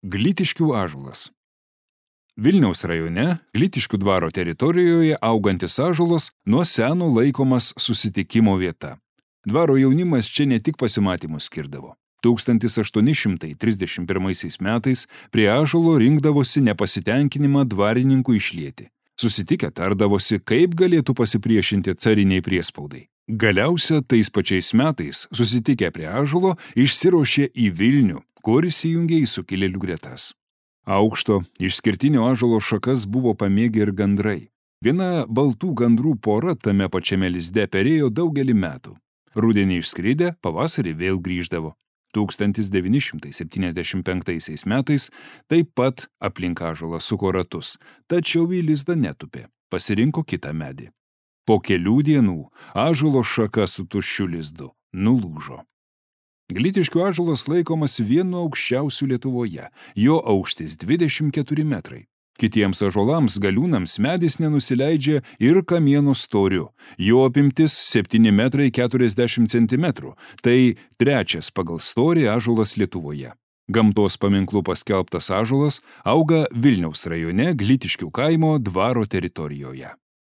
Glytiškių ąžuolas. Vilniaus rajone, Glytiškių dvaro teritorijoje augantis ąžuolas nuo seno laikomas susitikimo vieta. Dvaro jaunimas čia ne tik pasimatymus skirdavo. 1831 metais prie ąžuolo rinkdavosi nepasitenkinimą dvarininkų išlieti. Susitikę tardavosi, kaip galėtų pasipriešinti cariniai priespaudai. Galiausia, tais pačiais metais, susitikę prie ąžuolo, išsiruošė į Vilnių, kur įsijungė į sukilėlių gretas. Aukšto, išskirtinio ąžuolo šakas buvo pamėgę ir gandrai. Viena baltų gandrų pora tame pačiame lizde perėjo daugelį metų. Rudenį išskridę, pavasarį vėl grįždavo. 1975 metais taip pat aplink ąžuolą suko ratus, tačiau į lizdą netupė, pasirinko kitą medį. Po kelių dienų ąžuolo šaka su tuščiu lizdu nulūžo. Glytiškių ąžuolas laikomas vienu aukščiausių Lietuvoje, jo aukštis 24 metrai. Kitiems ąžuolams galiūnams medis nenusileidžia ir kamieno storiu, jo apimtis 7 metrai 40 centimetrų, tai trečias pagal storį ąžuolas Lietuvoje. Gamtos paminklu paskelbtas ąžuolas auga Vilniaus rajone Glytiškių kaimo dvaro teritorijoje.